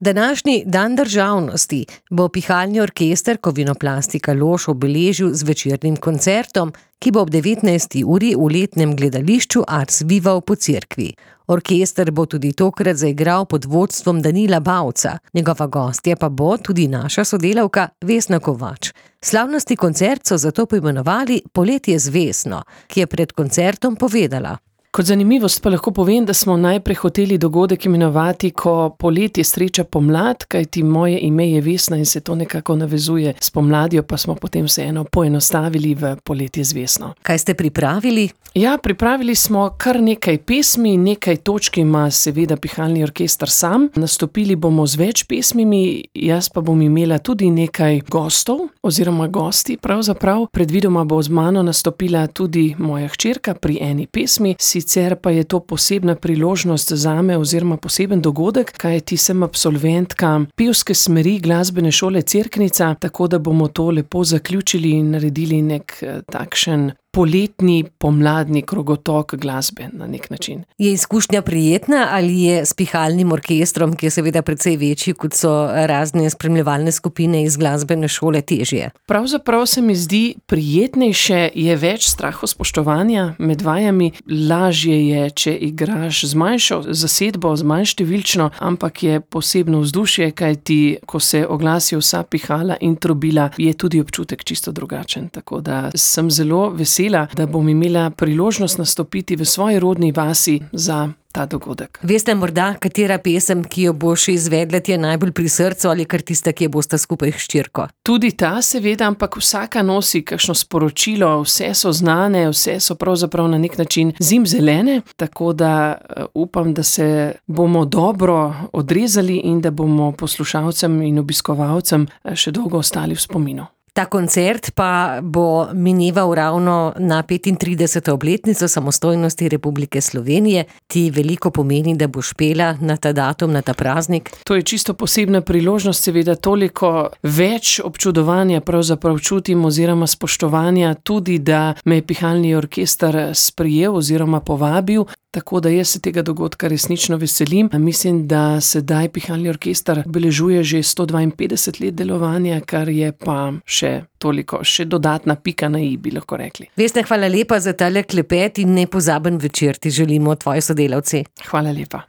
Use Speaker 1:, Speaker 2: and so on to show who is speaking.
Speaker 1: Današnji dan državnosti bo Pihalni orkester Kovinoplastika Lož obeležil z večernim koncertom, ki bo ob 19. uri v letnem gledališču Ars Viva v Pocerkvi. Orkester bo tudi tokrat zaigral pod vodstvom Danila Bavca, njegova gostja pa bo tudi naša sodelavka Vesna Kovač. Slavnostni koncert so zato poimenovali Poletje z Vesno, ki je pred koncertom povedala:
Speaker 2: Kot zanimivost pa lahko povem, da smo najprej hoteli dogodek imenovati, ko poletje sreča pomlad, kajti moje ime je Vesna in se to nekako navezuje s pomladjo, pa smo potem vseeno poenostavili v Poletje z Vesno.
Speaker 1: Kaj ste pripravili?
Speaker 2: Ja, pripravili smo kar nekaj pesmi, nekaj točk ima seveda Pihalni orkester sam. Nastopili bomo z več pesmimi, jaz pa bom imela tudi nekaj gostov oziroma gosti pravzaprav. Predvidoma bo z mano nastopila tudi moja hčerka pri eni pesmi. Sicer pa je to posebna priložnost zame oziroma poseben dogodek, kajti sem absolventka pevske smeri glasbene šole Cerknica, tako da bomo to lepo zaključili in naredili nek takšen poletni, pomladni krogotok glasbe na nek način.
Speaker 1: Je izkušnja prijetna ali je s pihalnim orkestrom, ki je seveda precej večji, kot so razne spremljevalne skupine iz glasbene šole, težje?
Speaker 2: Pravzaprav se mi zdi prijetnejše, je več strahospoštovanja med vajami. Lažje je, če igraš z manjšo zasedbo, z manj številčno, ampak je posebno vzdušje, kajti ko se oglasijo vsa pihala in trobila, je tudi občutek čisto drugačen. Tako da sem zelo vesela, da bom imela priložnost nastopiti v svoji rodni vasi za ta dogodek.
Speaker 1: Veste morda, katera pesem, ki jo boš izvedla, ti je najbolj pri srcu ali kar tista, ki jo bosta skupaj s hčerko?
Speaker 2: Tudi ta seveda, ampak vsaka nosi kakšno sporočilo, vse so znane, vse so pravzaprav na nek način zimzelene, tako da upam, da se bomo dobro odrezali in da bomo poslušalcem in obiskovalcem še dolgo ostali v spominu.
Speaker 1: Ta koncert pa bo mineval ravno na 35. obletnico samostojnosti Republike Slovenije. Ti veliko pomeni, da boš pela na ta datum, na ta praznik?
Speaker 2: To je čisto posebna priložnost, seveda toliko več občudovanja pravzaprav čutim oziroma spoštovanja, tudi da me je Pihalni orkester sprejel oziroma povabil. Tako da jaz se tega dogodka resnično veselim. Mislim, da sedaj Pihalni orkester obeležuje že 152 let delovanja, kar je pa še dodatna pika na i, bi lahko rekli.
Speaker 1: Vesna, hvala lepa za tale klepet in nepozaben večer ti želimo tvoji sodelavci.
Speaker 2: Hvala lepa.